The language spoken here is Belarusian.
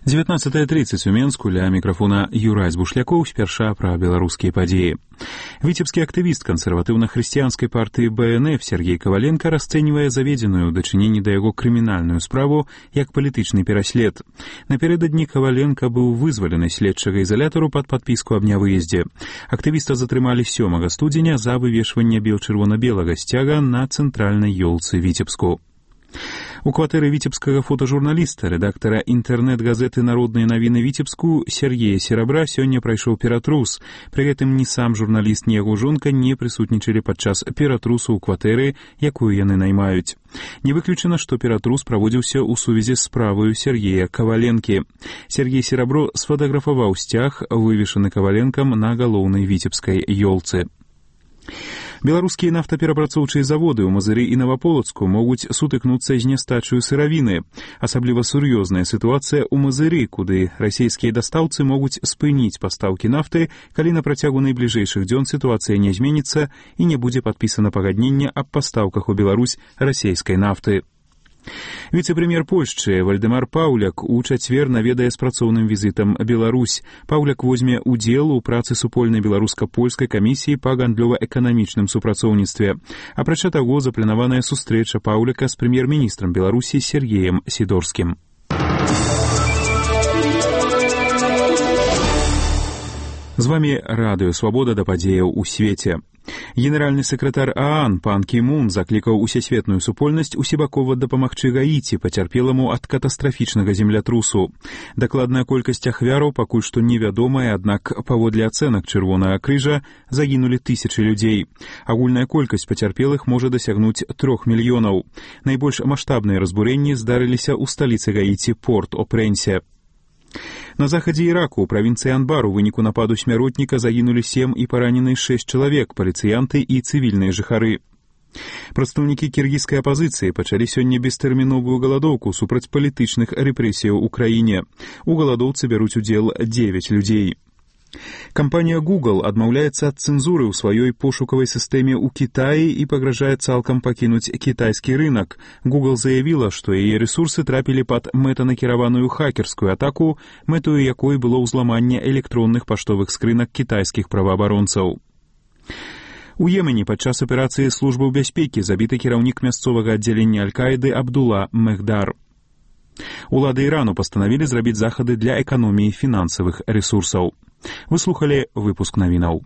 19:30 у Менску, ля мікрафона Юрась Бушлякоў, спярша пра беларускія падзеі. Віцебскі актывіст кансерватыўна-хрысціянскай партыі БНФ Сергей Коваленко расцэньвае заведзеную ў дачыненні да яго крымінальную справу як палітычны пераслед. Напярэдадні Коваленко быў вызвалены следчага ізалятару пад падпіску аб нявыездзе. Актывіста затрымалі 7 студзеня за вывешванне бел-чырвона-белага сцяга на цэнтральнай ёлцы Віцебску. У кватэры віцебскага фотажурналіста, рэдактара інтэрнэт-газеты «Народныя навіны Віцебску» Сергея Серабра сёння прайшоў ператрус. Пры гэтым ні сам журналіст, ні яго жонка не прысутнічалі падчас ператрусу ў кватэры, якую яны наймаюць. Не выключана, што ператрус праводзіўся ў сувязі з справаю Сергея Коваленкі. Сергей Серабро сфотаграфаваў сцяг, вывешаны Коваленкам на галоўнай віцебскай ёлцы. Беларускія нафтаперапрацоўчыя заводы ў Мазыры і Наваполацку могуць сутыкнуцца з нястачаю сыравіны. Асабліва сур'ёзная сітуацыя ў Мазыры, куды расійскія дастаўцы могуць спыніць пастаўкі нафты, калі на працягу найбліжэйшых дзён сітуацыя не зменіцца і не будзе падпісана пагадненне аб пастаўках у Беларусь расійскай нафты. Віцэ-прэм'ер Польшчы Вальдэмар Паўляк у чацвер наведае з працоўным візітам Беларусь. Паўляк возьме удзел у працы супольнай беларуска-польскай камісіі па гандлёва-эканамічным супрацоўніцтве. Апрача таго, запланаваная сустрэча Паўляка з прэм'ер-міністрам Беларусі Сергеем Сідорскім. З вамі Радыё Свабода да падзеяў у свеце. Генеральны сакратар ААН пан Кі Мун заклікаў усесветную супольнасць усебакова дапамагчы Гаіці, пацярпеламу ад катастрафічнага землятрусу. Дакладная колькасць ахвяраў пакуль што невядомая, аднак паводле ацэнак Чырвонага крыжа загінулі тысячы людзей. Агульная колькасць пацярпелых можа дасягнуць 3 мільёнаў. Найбольш маштабныя разбурэнні здарыліся ў сталіцы Гаіці Порт-о-Прэнсе. На захадзе Іраку ў правінцыі Анбар у выніку нападу смяротніка загінулі 7 і паранены 6 чалавек, паліцыянты і цывільныя жыхары. Прадстаўнікі кіргізскай апазіцыі пачалі сёння бестэрміновую галадоўку супраць палітычных рэпрэсіяў у краіне. У галадоўцы бяруць удзел 9 людзей. Кампанія Google адмаўляецца ад цэнзуры ў сваёй пошукавай сістэме ў Кітаі і пагражае цалкам пакінуць кітайскі рынак. Google заявіла, што яе рэсурсы трапілі пад мэтанакіраваную хакерскую атаку, мэтою якой было ўзламанне электронных паштовых скрынак кітайскіх праваабаронцаў. У Йемене падчас аперацыі службаў бяспекі забіты кіраўнік мясцовага аддзялення Аль-Каіды Абдулла Мехдар. Улады Ірану пастанавілі зрабіць захады для эканоміі фінансавых рэсурсаў. Вы слухалі выпуск навінаў.